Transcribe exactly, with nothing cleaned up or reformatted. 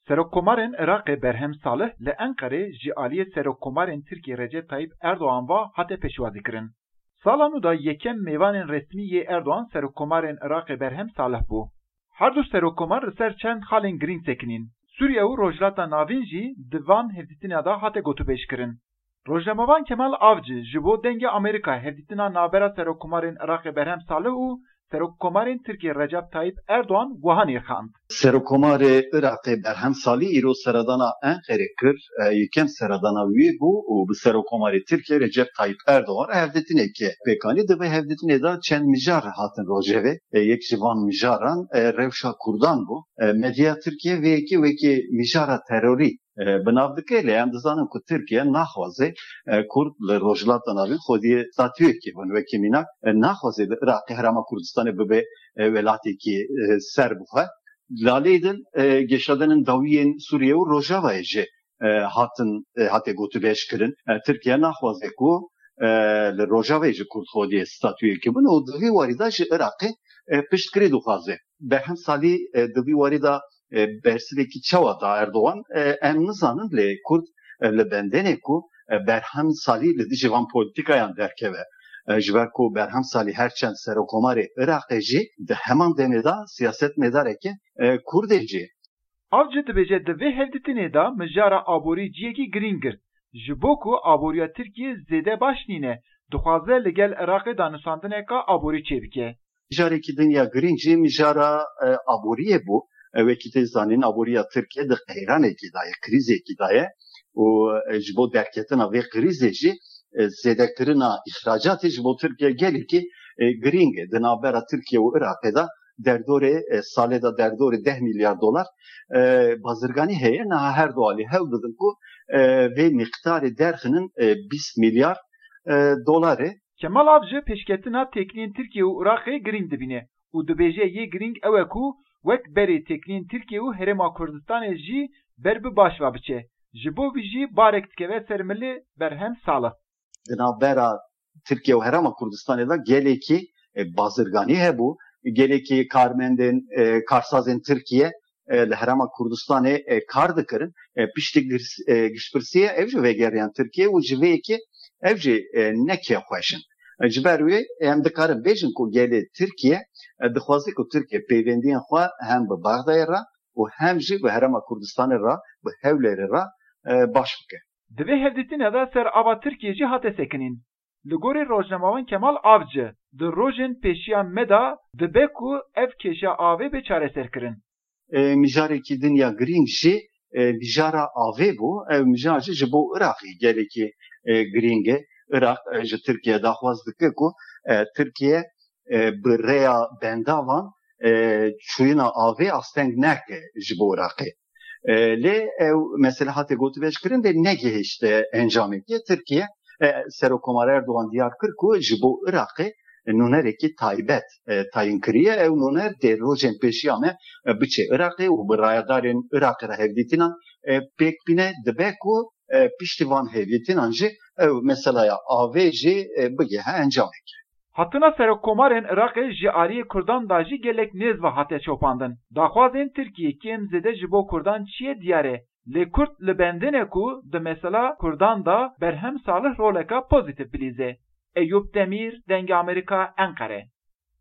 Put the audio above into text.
Serokkomarên Iraqê Berhem Salih li Enqerê ji aliyê Serokkomarên Tirkiyê Recep Tayyip Erdogan ve hate pêşwazîkirin. Sala nû de yekem mêvanên resmî yê Erdogan Serokkomarên Iraqê Berhem Salih bû. Her du serokkomar li ser çend xalên girîng sekinîn. Sûriye û Rojhilata Navîn jî di van hevdîtinê de hate gotûbêjkirin. Rojnamevan Kemal Avcı ji bo Dengê Amerîka hevdîtina navbera Serokkomarên Iraqê Berhem Salih û Serokkomarên Tirkiyê Recep Tayyip Erdogan wiha nirxand. Serokkomarê Iraqê Berhem Salih îro seredana Enqerê kir, e, yekem seredana wî bû û bi Serokkomarê Tirkiyê Recep Tayyip Erdogan re hevdîtinekê pêk anî. Di vê hevdîtinê de çend mijar hatin rojevê. E, yek ji van mijaran, e, rewşa Kurdan bû. E, medya Tirkiye vê yekê wekî mijara terorî e, bi nav dike, lê em dizanin ku Tirkiye naxwaze, e, Kurd li Rojhilata Navîn xwediyê statuyekê bin. Wekî mînak, e, naxwaze li Iraqê Herêma Kurdistanê bibe, e, welatekî, e, serbixwe. Lalê din, e, geşadanên dawiyên Sûriye û Rojavayê jî, e, hatin, e, hate gotûbêj kirin. E, Tirkiye naxwaze ku, e, li Rojavayê jî Kurd xwediyê statuyekê bin û di vî warî de ji Iraqê, e, piştgirî dixwaze. Berhem Salî, e, di vî warî de, e, bersivekî çawa da Erdogan, e, em nizanin, lê Kurd, e, li bendê ne ku, e, Berhem Salî li dijî van polîtîkayan derkeve. E, ji ber ku Berhem Salî her çend serokomarê Iraqê jî di heman demê de siyasetmedareke, e, Kurd e jî. Avcı dibêje di vê hevdîtinê de mijara aborî cihekî girîng girt. Ji bo ku aboriya Tirkiyê zêde baş nîne, dixwaze li gel Iraqê danûstandineka aborî çêbike. Mijarekî din ya girîng jî mijara, e, aboriyê bû. E, wekî tê zanîn, aboriya Tirkiye di qeyranekî de ye, krîzekî de ye û, e, ji bo derketina vê krîzê jî, e, zêdekirina îxracatê ji bo Tirkiye gelekî, e, girîng e. Di navbera Tirkiye û Iraqê de derdorê, e, salê de derdorê deh milyar dolar, e, bazirganî heye. Niha her du alî hewl didin ku, e, vê miqdarê derxinin, e, bîst milyar, e, dolar e. Kemal Avcı pêşketina têkiliyên Tirkiye û Iraqê girîng dibîne û dibêje yê girîng ew e ku wek berê têkiliyên Tirkiye û Herêma Kurdistanê jî ber bi baş ve biçe. Ji bo vî jî barek dikeve ser milê Berhem Salih. Di navbera Tirkiye û Herêma Kurdistanê de gelekî, e, bazirganî hebû, gelekî karmendên, e, karsazên Tirkiye, e, li Herêma Kurdistanê, e, kar dikirin. E, piştî girs-, e, giştpirsiyê ev jî vegeriyan Tirkiye û ji vê yekê ev jî, e, ne kêfxweş in. E, ji ber wê em dikarin bêjin ku gelê Tirkiye, e, dixwaze ku Tirkiye peywendiyên xwe hem bi Bexdayê re û hem jî bi Herêma Kurdistanê re, bi Hewlêrê re, e, baş bike. Di vê hevdîtinê de ser ava Tirkiyê jî hate sekinîn. Li gorî rojnamevan Kemal Avcı, di rojên pêşiya me de dibe ku ev kêşa avê bê çareserkirin. E, mijarekî din ya girîng jî, e, mijara avê bû. Ev mijar jî ji bo Iraqê gelekî, e, girîng e. Iraq, e, ji Tirkiye daxwaz dike ku, e, Tirkiye, e, bi rêya bendavan, e, çûyîna avê asteng neke ji bo Iraqê. E, lê ew mesele hate gotûbêjkirin lê negihişte encamekê. Tirkiye, e, Serokkomar Erdogan diyar kir ku ji bo Iraqê nûnerekî taybet, e, tayîn kiriye. Ew nûner dê rojên pêşiya me, e, biçe Iraqê û bi rayedarên Iraqê re hevdîtinan, e, pêk bîne. Dibe ku, e, piştî van hevdîtinan jî ew meselaya avê jî, e, bigihe encamekê. Hatina serokkomarên Iraqê ji aliyê Kurdan de jî gelek nêz ve hate çopandin. Daxwazên Tirkiyê kêm zêde ji bo Kurdan çi ye diyar e, lê Kurd li bendê ne ku di mesela Kurdan de Berhem Salih roleka pozîtîf bilîze. Eyûp Demîr, Dengê Amerîka, Enqere.